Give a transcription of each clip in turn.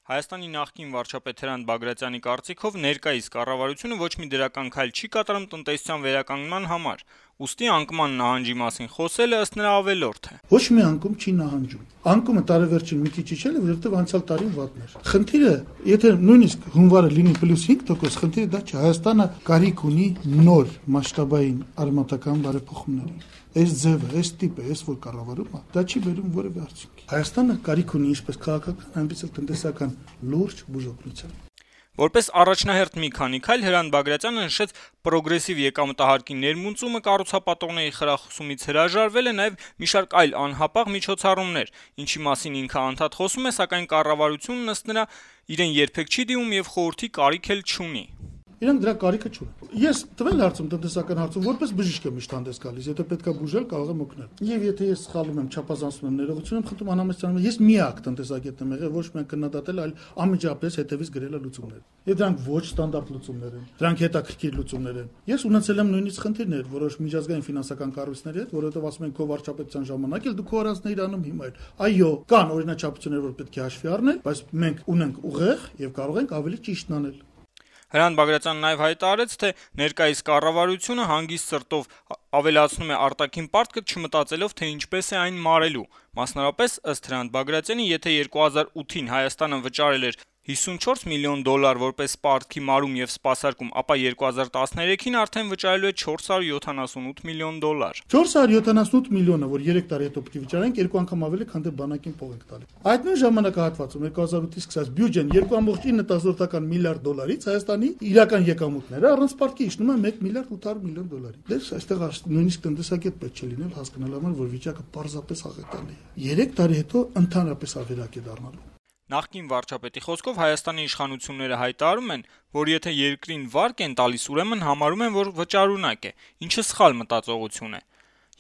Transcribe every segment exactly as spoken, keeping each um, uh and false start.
Հայաստանի նախկին վարչապետ Հրանտ Բագրատյանի կարծիքով ներկայիս կառավարությունը ոչ մի դրական քայլ չի կատարում տնտեսության վերականգնման համար, ուստի անկման նահանջի մասին խոսելը ըստ նրա ավելորդ է։ Ոչ մի անկում չի նահանջում։ Անկումը տարեվերջին մի քիչ իջել է, որովհետև անցյալ տարին վատն էր։ Խնդիրը, եթե նույնիսկ հունվարը լինի պլյուս հինգ տոկոս, խնդիրը դա չէ, Հայաստանը կարիք ունի նոր մասշտաբային արմատական բարեփոխումների։ Այս ձևը, այս տիպը, այս որ կառավարում է, դա չի բերում որևէ արդյունքի։ Հայաստանը կարիք ունի ինչպես քաղաքական, այնպես էլ տնտեսական լուրջ բուժօգնության։ Որպես առաջնահերթ մի քանի քայլ Հրանտ Բագրատյանը նշեց պրոգրեսիվ եկամտահարկի ներմուծումը, կառուցապատողների խրախուսումից հրաժարվել է նաև մի շարք այլ անհապաղ միջոցառումներ, ինչի մասին ինքը անդադ խոսում է, սակայն կառավարությունն ըստ նրա իրեն երբեք չի դիմում եւ խորհրդի կարիք էլ չունի։ Իրանք դրա կարիքը չունեն։ Ես տվել հարցում տնտեսական հարցում որպես բժիշկ եմ միշտ հանդես գալիս, եթե պետքա բուժել, կարող եմ օգնել։ Եվ եթե ես սխալվում եմ, չափազանցնում եմ ներողություն եմ խնդրում անհամեցանում, ես միակ տնտեսագետն եմ եղել, ոչ միայն քննադատել, այլ անմիջապես հետևից գրել լուծումներ։ Եվ դրանք ոչ ստանդարտ լուծումներ են, դրանք հետաքրքիր լուծումներ են։ Ես ունեցել եմ նույնիսկ խնդիրներ որոշ միջազգային ֆինանսական կառույցների հետ, որովհետև ասում են քո վարչապետության ժամանակ էլ դու քո առանձնիր անում հիմա էլ։ Այո, կան օրինաչափություններ, որ պետք է հաշվի առնել, բայց մենք ունենք ուղեղ եւ կարող ենք ավելի ճիշտն անել։ Հրանտ Բագրատյանն նաև հայտարարեց, թե ներկայիս կառավարությունը հանգիստ սրտով ավելացնում է արտաքին պարտքը, չմտածելով, թե ինչպես է այն մարելու։ Մասնավորապես, ըստ Հրանտ Բագրատյանի, եթե երկու հազար ութին Հայաստանը վճարել էր հիսունչորս միլիոն դոլար որպես պարտքի մարում եւ սպասարկում, ապա երկու հազար տասներեքին արդեն վճարելու է չորս հարյուր յոթանասունութ միլիոն դոլար։ չորս հարյուր յոթանասունութ միլիոնը, որ երեք տարի հետո պետք է վճարենք, երկու անգամ ավելի, քան դե բանակին փող ենք տալի։ Այդ նույն ժամանակահատվածում երկու հազար ութից սկսած բյուջեն երկու կόμma ինը միլիարդ դոլարից Հայաստանի իրական եկամուտները առանց պարտքի իջնում են մեկ միլիարդ ութ հարյուր միլիոն դոլարի։ Դες այստեղ նույնիսկ տնտեսագետ պետք չէ լինել հասկանալ համար, որ վիճակը պարզապես աղետալի է։ երեք տարի հետո ընդհանրապես ավերակ է դառնալու։ Նախկին վարչապետի խոսքով Հայաստանի իշխանությունները հայտարարում են, որ եթե երկրին վարկ են տալիս, ուրեմն համարում են, որ վճարունակ է, ինչը սխալ մտածողություն է։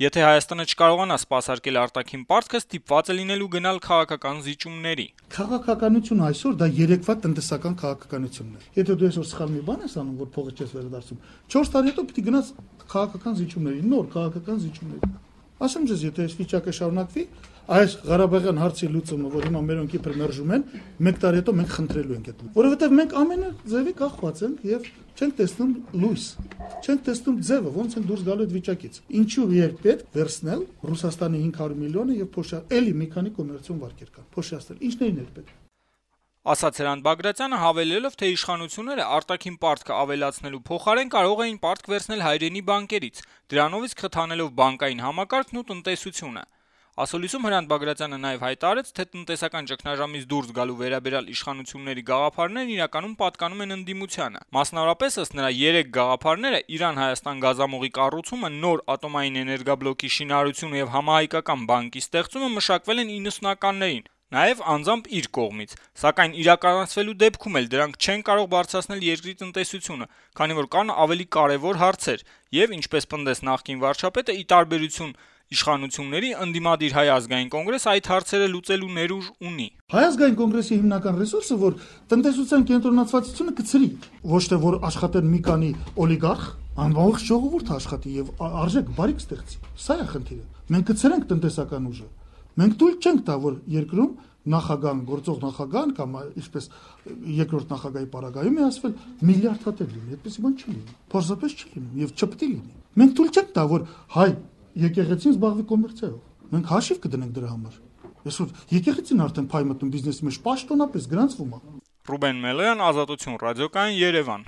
Եթե Հայաստանը չկարողանա սպասարկել արտաքին պարտքը, ստիպված է լինելու գնալ քաղաքական զիջումների։ Քաղաքականությունը այսօր դա երեկվա տնտեսական քաղաքականությունն է։ Եթե դու այսօր սխալ մի բան ես անում, որ փողը չես վերադարձում, չորս տարի հետո պիտի գնաս քաղաքական զիջումների, նոր քաղաքական զիջումների։ Ասեմ ձեզ, եթե այս վիճակը շարունակվի, այս Ղարաբաղյան հարցի լուծումը, որ հիմա մերոնք իբր մերժում են, մեկ տարի հետո մենք խնդրելու ենք այդ։ Որովհետև մենք ամենը ձևի կախված ենք եւ չենք տեսնում լույս, չենք տեսնում ձևը, ոնց են դուրս գալու այդ վիճակից։ Ինչու երբ պետք վերցնել Ռուսաստանի հինգ հարյուր միլիոնը եւ փոշա էլի մի քանի կոմերցիոն վարկեր կան։ Փոշիացնել, ինչներին էր պետք։ Ասաց Հրանտ Բագրատյանը, հավելելով, թե իշխանությունները արտաքին պարտքը ավելացնելու փոխարեն կարող էին պարտք վերցնել հայրենի բանկերից, դրանով իսկ խթանելով բանկային համակարգն ու տնտեսությունը։ Ասուլիսում Հրանտ Բագրատյանը նաև հայտարարեց, թե տնտեսական ճգնաժամից դուրս գալու վերաբերյալ իշխանությունների գաղափարներն իրականում պատկանում են ընդդիմությանը։ Մասնավորապես ըստ նրա երեք գաղափարները՝ Իրան-Հայաստան գազամուղի կառուցումը, նոր ատոմային էներգաբլոկի շինարարությունը եւ համահայկական բանկի ստեղծումը մշակվել են իննսունականներին, նաև անձամբ իր կողմից, սակայն իրականացվելու դեպքում էլ դրանք չեն կարող բարձրացնել երկրի տնտեսությունը, քանի որ կան ավելի կարևոր հարցեր, եւ ինչպես պնդեց նախկին վարչապետը, ի տարբերություն իշխանությունների, ընդդիմադիր Հայ ազգային կոնգրես այդ հարցերը լուծելու ներուժ ունի։ Հայ ազգային կոնգրեսի հիմնական ռեսուրսը, որ տնտեսության կենտրոնացվածությունը կցրի, ոչ թե որ աշխատեն մի քանի օլիգարխ, անվաղ ժողովուրդ աշխատի եւ արժեք բարիք ստեղծի։ Սա է խնդիրը։ Մենք կցրենք տնտեսական ուժը։ Մենք թույլ չենք տա, որ երկրում նախագահան, գործող նախագահան կամ ինչպես երկրորդ նախագահի պարագայում է ասվել միլիարդ հատեր լինի, այդպես բան չի լինի։ Փորձապես չի լինի եւ չպետք է լինի։ Մենք թույլ չենք տա, որ հայ եկեղեցին զբաղվի կոմերցիայով։ Մենք հաշիվ կդնենք դրա համար։ Այսօր եկեղեցին արդեն փայ մտնում բիզնեսի մեջ պաշտոնապես գրանցվում է։ Ռուբեն Մելոյան, Ազատություն ռադիոկայան, Երևան։